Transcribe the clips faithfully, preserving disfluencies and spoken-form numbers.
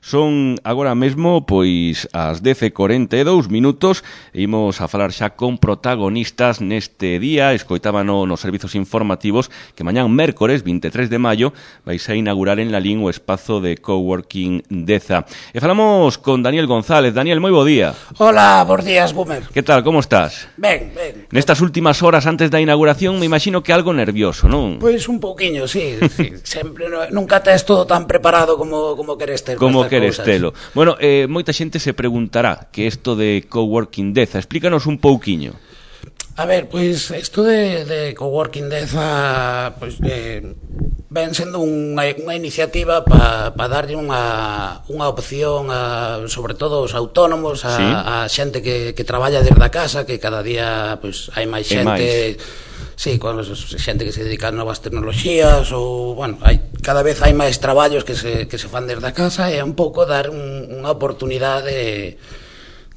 Son agora mesmo, pois, as dez e corenta e dous minutos. Imos a falar xa con protagonistas neste día. Escoitábano nos servizos informativos que mañán mércores, vinte e tres de maio, vais a inaugurar en Lalín o espazo de coworking Deza. E falamos con Daniel González. Daniel, moi bo día. Hola, bons días, Boomer. Que tal, como estás? Ben, ben. Nestas últimas horas antes da inauguración, me imagino que algo nervioso, non? Pois un pouquiño, sí, sí. Sempre, no, nunca tes todo tan preparado como, como queres ter. Como queres telo. Bueno, eh, moita xente se preguntará que isto de coworking Deza, explícanos un pouquiño. A ver, pois isto de, de coworking Deza, pois eh, ven sendo unha, unha iniciativa para pa darlle unha, unha opción a, sobre todo aos autónomos, a, sí. a xente que, que traballa desde a casa, que cada día pois hai máis xente, sí, con xente que se dedica a novas tecnoloxías, ou, bueno, hai, cada vez hai máis traballos que se, que se fan desde a casa, e é un pouco dar un, unha oportunidade de,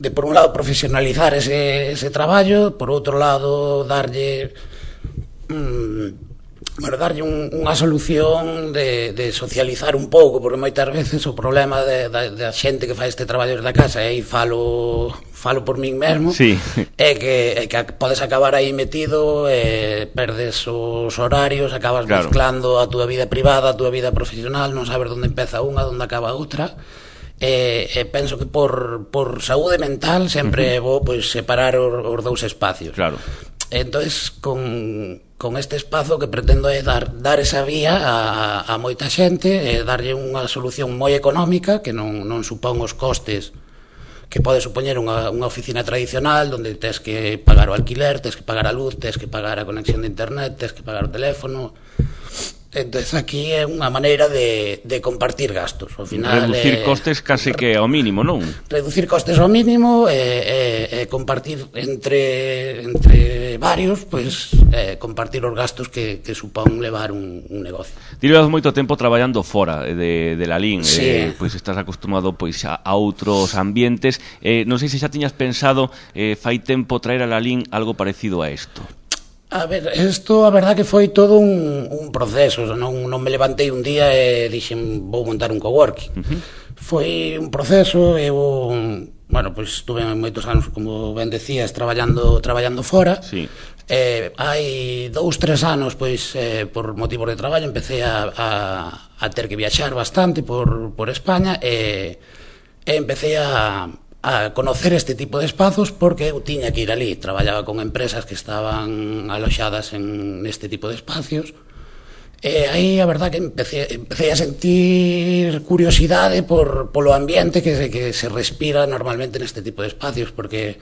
de, por un lado, profesionalizar ese, ese traballo, por outro lado, darlle... Mm, bueno, darlle un, unha solución de, de socializar un pouco, porque moitas veces o problema de, de, de a xente que fai este traballo da casa, e aí falo, falo por min mesmo, sí. é, que, é que podes acabar aí metido, e perdes os horarios, acabas claro. mezclando a túa vida privada, a túa vida profesional, non sabes onde empeza unha, onde acaba outra. E, e penso que por, por saúde mental sempre é uh -huh. bo pois, separar os, os dous espacios. Claro. Entonces, con, con este espazo que pretendo é dar, dar esa vía a, a moita xente, e darlle unha solución moi económica que non, non supón os costes que pode supoñer unha, unha oficina tradicional onde tes que pagar o alquiler, tes que pagar a luz, tes que pagar a conexión de internet, tes que pagar o teléfono. Entonces aquí é unha maneira de, de compartir gastos. Ao final, reducir eh, costes case que ao mínimo, non? Reducir costes ao mínimo e eh, eh, compartir entre entre varios, pois eh, compartir os gastos que, que supón levar un, un negocio. Ti levas moito tempo traballando fora de, de Lalín, sí. eh, pois estás acostumado pois a, a outros ambientes. Eh, non sei se xa tiñas pensado eh, fai tempo traer a Lalín algo parecido a isto. A ver, isto a verdad que foi todo un, un proceso, non, non me levantei un día e dixen vou montar un coworking. Uh -huh. Foi un proceso, eu, bueno, pois pues, estuve moitos anos, como ben decías, traballando traballando fora. Sí. Eh, hai dous, tres anos, pois, eh, por motivos de traballo, empecé a, a, a ter que viaxar bastante por, por España e, e empecé a... a conocer este tipo de espazos porque eu tiña que ir ali, traballaba con empresas que estaban aloxadas en este tipo de espacios e aí a verdad que empecé, empecé a sentir curiosidade por, polo ambiente que, que se respira normalmente neste tipo de espacios, porque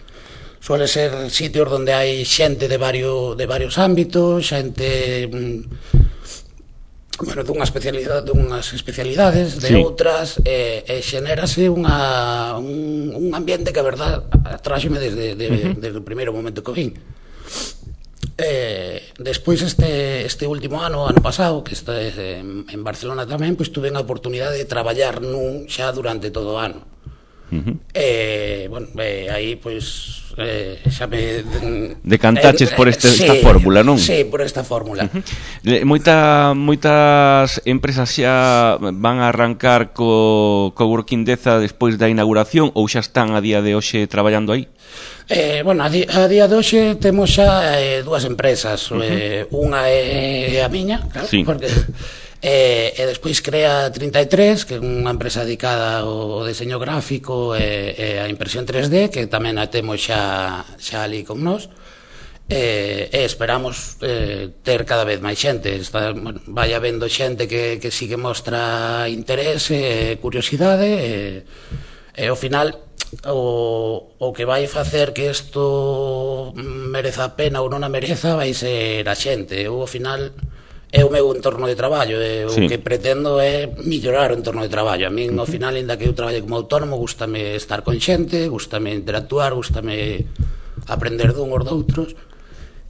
suele ser sitios onde hai xente de varios, de varios ámbitos, xente... bueno, dunha especialidade, dunhas especialidades, de sí. outras, e, e xenérase unha, un, un ambiente que a verdad atráxeme desde, de, uh -huh. desde o primeiro momento que vin. Eh, despois este, este último ano, ano pasado, que está en, en Barcelona tamén, pois tuve a oportunidade de traballar nun xa durante todo o ano. Uh -huh. eh, bueno, eh, aí pois eh, xa me decantaches eh, por este, sí, esta fórmula, non? Sí, por esta fórmula. Uh -huh. Moita, moitas empresas xa van a arrancar co coworking Deza despois da inauguración, ou xa están a día de hoxe traballando aí? Eh, bueno, a, di, a día de hoxe temos xa eh, dúas empresas. Uh -huh. eh, unha é a miña, claro, sí. porque E, e despois crea trinta e tres, que é unha empresa dedicada ao deseño gráfico e, e a impresión tres D, que tamén a temos xa, xa ali con nós, e, e esperamos eh, ter cada vez máis xente. Está, bueno, vai habendo xente que, que sí que mostra interese e curiosidade, e, e ao final o, o que vai facer que isto mereza a pena ou non a mereza vai ser a xente. Eu ao final é o meu entorno de traballo, e o sí. que pretendo é mellorar o entorno de traballo. A min, ao final, ainda que eu traballe como autónomo, gústame estar con xente, gústame interactuar, gústame aprender dun ou doutros,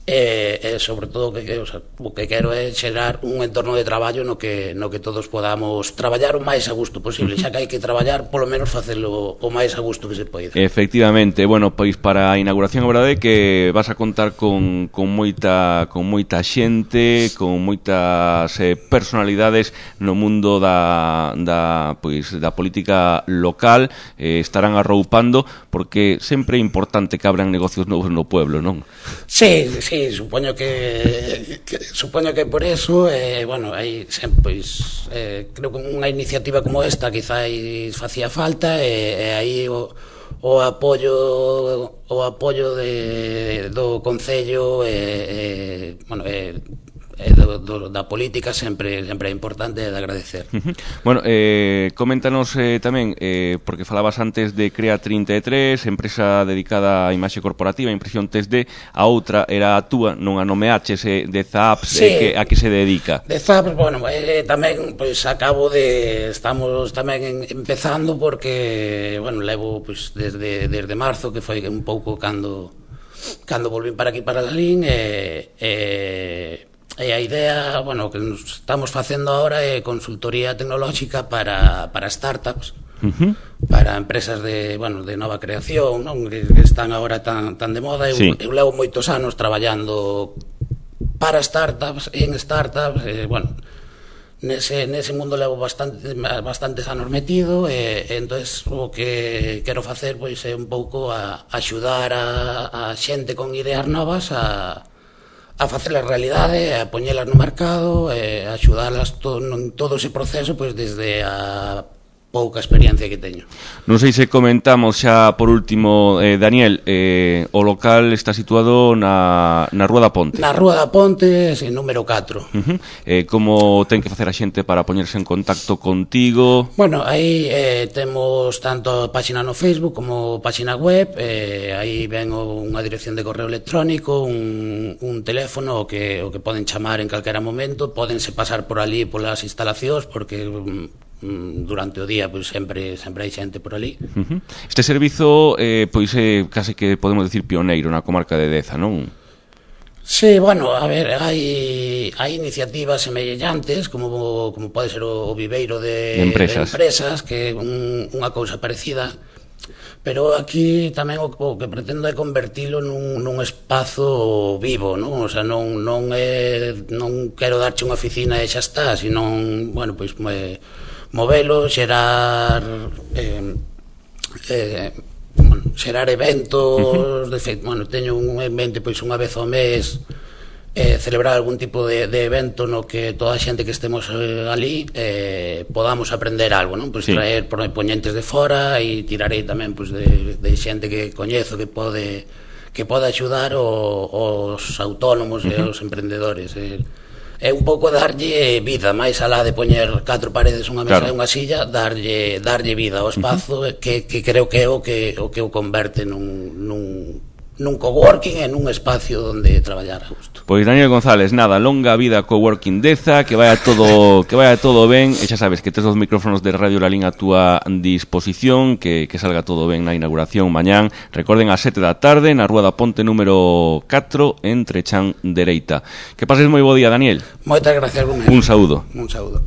e, e sobre todo que, o, sea, o que quero é xerar un entorno de traballo no que, no que todos podamos traballar o máis a gusto posible, xa que hai que traballar polo menos facelo o máis a gusto que se poida. Efectivamente, bueno, pois para a inauguración a verdade é que vas a contar con, con moita con moita xente, con moitas eh, personalidades no mundo da, da, pois, da política local, eh, estarán arroupando, porque sempre é importante que abran negocios novos no pueblo, non? Sí, sí, supoño que, que supoño que por eso, eh, bueno, aí sempre, pois, eh, creo que unha iniciativa como esta quizás facía falta, e, e aí o, o apoio o apoio de, do Concello e, eh, bueno, eh, e do, do, da política sempre sempre é importante de agradecer. Uh-huh. Bueno, eh, coméntanos eh, tamén, eh, porque falabas antes de Crea trinta e tres, empresa dedicada á imaxe corporativa, impresión tres D, a outra era a túa, non a nomeaches, eh, de Zaps, sí, eh, que, a que se dedica? De Zaps, bueno, eh, tamén pois acabo de, estamos tamén en, empezando porque, bueno, levo pois desde, desde marzo, que foi un pouco cando cando volvín para aquí para Lalín, e eh, E a idea, bueno, que nos estamos facendo agora é consultoría tecnolóxica para, para startups, uh-huh. para empresas de, bueno, de nova creación, non? Que, que están agora tan, tan de moda. Eu, sí. eu levo moitos anos traballando para startups, en startups, e, bueno, nese, nese mundo levo bastante, bastantes anos metido, e, e entonces o que quero facer pois é un pouco a, a axudar a, a xente con ideas novas a a facelas realidade, a poñelas no mercado, e a axudalas to, en todo ese proceso, pois desde a pouca experiencia que teño. Non sei se comentamos xa por último, eh, Daniel, eh, o local está situado na, na Rúa da Ponte. Na Rúa da Ponte, en número catro. Uh-huh. eh, como ten que facer a xente para poñerse en contacto contigo? Bueno, aí eh, temos tanto a página no Facebook como página web, eh, aí ven unha dirección de correo electrónico, un, un teléfono o que, o que poden chamar en calquera momento, podense pasar por ali polas instalacións, porque durante o día pois sempre sempre hai xente por ali. Uh-huh. Este servizo eh, pois é eh, case que podemos decir pioneiro na comarca de Deza, non? Sí, bueno, a ver, hai hai iniciativas semellantes como como pode ser o, o Viveiro de, de, empresas. de empresas, que é un, unha cousa parecida, pero aquí tamén o, o que pretendo é convertilo nun, nun espazo vivo, non? O sea, non, non, é, non quero darche unha oficina e xa está, sino, bueno, pois me, movelo, xerar eh, eh, bueno, xerar eventos. Uh-huh. De feito, bueno, teño un evento pois unha vez ao mes, eh, celebrar algún tipo de, de evento no que toda a xente que estemos eh, ali eh, podamos aprender algo, non? Pois sí. Traer poñentes de fora, e tirarei tamén pois, de, de xente que coñezo que pode que pode axudar o, os autónomos. Uh-huh. E os emprendedores. eh, É un pouco darlle vida, máis alá de poñer catro paredes, unha mesa, claro, e unha silla, darlle darlle vida ao espazo. Uh-huh. que, que creo que é o que o que o converte nun, nun, nun coworking e nun espacio onde traballar a gusto. Pois Daniel González, nada, longa vida coworking Deza, que vaya todo que vaya todo ben, e xa sabes que tes os micrófonos de Radio Lalín a túa disposición, que, que salga todo ben na inauguración mañán. Recorden, ás sete da tarde na Rúa da Ponte número catro, entre Chan Dereita. Que pases moi bo día, Daniel. Moitas gracias, Gómez. Un saúdo. Un saúdo.